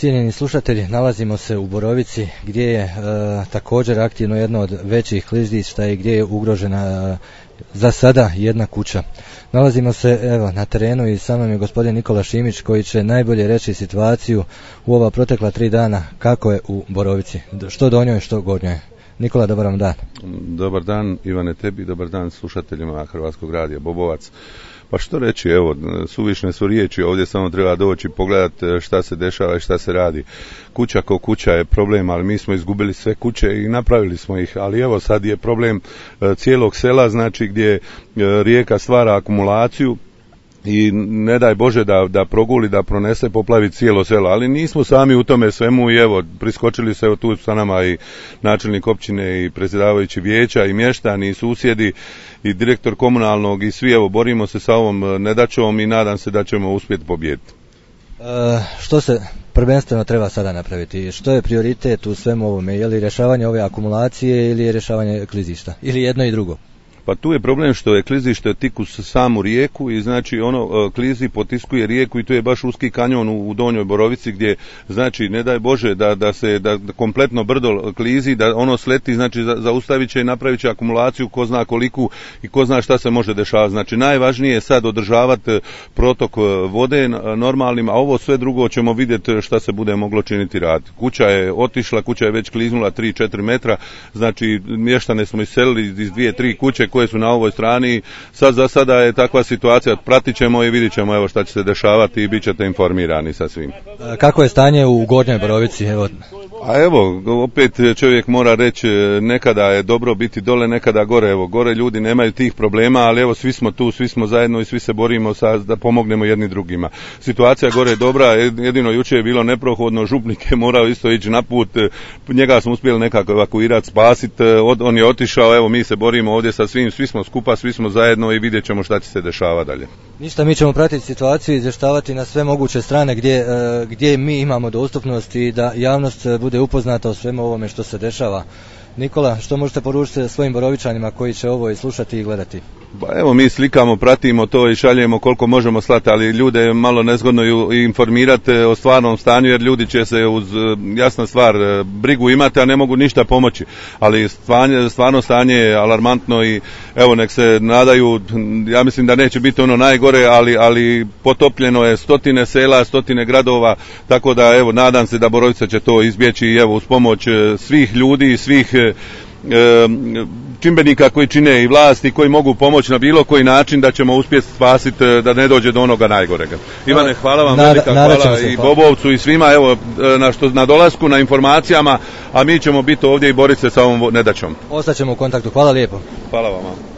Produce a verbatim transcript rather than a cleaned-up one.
Cijenjeni slušatelji, nalazimo se u Borovici gdje je e, također aktivno jedno od većih klizišta i gdje je ugrožena e, za sada jedna kuća. Nalazimo se evo na terenu i sa mnom je gospodin Nikola Šimić koji će najbolje reći situaciju u ova protekla tri dana kako je u Borovici, što donjoj, što gornjoj. Nikola, dobar vam dan. Dobar dan Ivane tebi, dobar dan slušateljima Hrvatskog radija Bobovac. Pa što reći, evo, suvišne su riječi, ovdje samo treba doći pogledati šta se dešava i šta se radi. Kuća ko kuća je problem, ali mi smo izgubili sve kuće i napravili smo ih, ali evo sad je problem cijelog sela, znači gdje rijeka stvara akumulaciju i ne daj Bože da, da proguli, da pronese, poplavi cijelo selo, ali nismo sami u tome svemu i evo, priskočili se, evo tu sa nama i načelnik općine i predsjedavajući vijeća i mještani i susjedi i direktor komunalnog i svi, evo, borimo se sa ovom nedaćom i nadam se da ćemo uspjeti pobijediti. E, što se prvenstveno treba sada napraviti? Što je prioritet u svemu ovome? Je li rješavanje ove akumulacije ili je rješavanje klizišta? Ili jedno i drugo? Pa tu je problem što je klizište tik uz samu rijeku i znači ono klizi potiskuje rijeku i tu je baš uski kanjon u Donjoj Borovici gdje znači ne daj Bože da, da se da kompletno brdo klizi, da ono sleti, znači zaustavit će i napravit će akumulaciju ko zna koliku i ko zna šta se može dešavati. Znači najvažnije je sad održavati protok vode normalnim, a ovo sve drugo ćemo vidjeti šta se bude moglo činiti rad. Kuća je otišla, kuća je već kliznula tri četiri metra, znači mještane smo iselili iz dvije tri kuće koje su na ovoj strani. Sad za sada je takva situacija, pratit ćemo i vidit ćemo evo šta će se dešavati i bit ćete informirani sa svim. Kako je stanje u Gornjoj Borovici? Evo. A evo, opet čovjek mora reći, nekada je dobro biti dole, nekada gore. Evo, gore ljudi nemaju tih problema, ali evo svi smo tu, svi smo zajedno i svi se borimo sa, da pomognemo jedni drugima. Situacija gore je dobra, jedino jučer je bilo neprohodno, župnik je morao isto ići na put, njega smo uspjeli nekako evakuirati, spasiti, on je otišao, evo mi se borimo ovdje sa svim, svi smo skupa, svi smo zajedno i vidjet ćemo šta će se dešavati dalje. Ništa, mi ćemo pratiti situaciju i izvještavati na sve moguće strane gdje, gdje mi imamo dostupnost i da javnost bude upoznata o svemu ovome što se dešava. Nikola, što možete poručiti svojim Borovičanima koji će ovo i slušati i gledati? Pa evo mi slikamo, pratimo to i šaljemo koliko možemo slati, ali ljude je malo nezgodno informirati o stvarnom stanju jer ljudi će se uz jasna stvar brigu imati, a ne mogu ništa pomoći. Ali stvarno, stvarno stanje je alarmantno i evo nek se nadaju, ja mislim da neće biti ono najgore, ali, ali potopljeno je stotine sela, stotine gradova, tako da evo nadam se da Borovica će to izbjeći i evo uz pomoć svih ljudi i svih čimbenika koji čine i vlasti koji mogu pomoći na bilo koji način da ćemo uspjeti spasiti da ne dođe do onoga najgorega. Ivane, hvala vam velika, hvala i Bobovcu i svima evo na, što, na dolasku, na informacijama, a mi ćemo biti ovdje i boriti se sa ovom nedaćom. Ostaćemo u kontaktu, hvala lijepo. Hvala vama.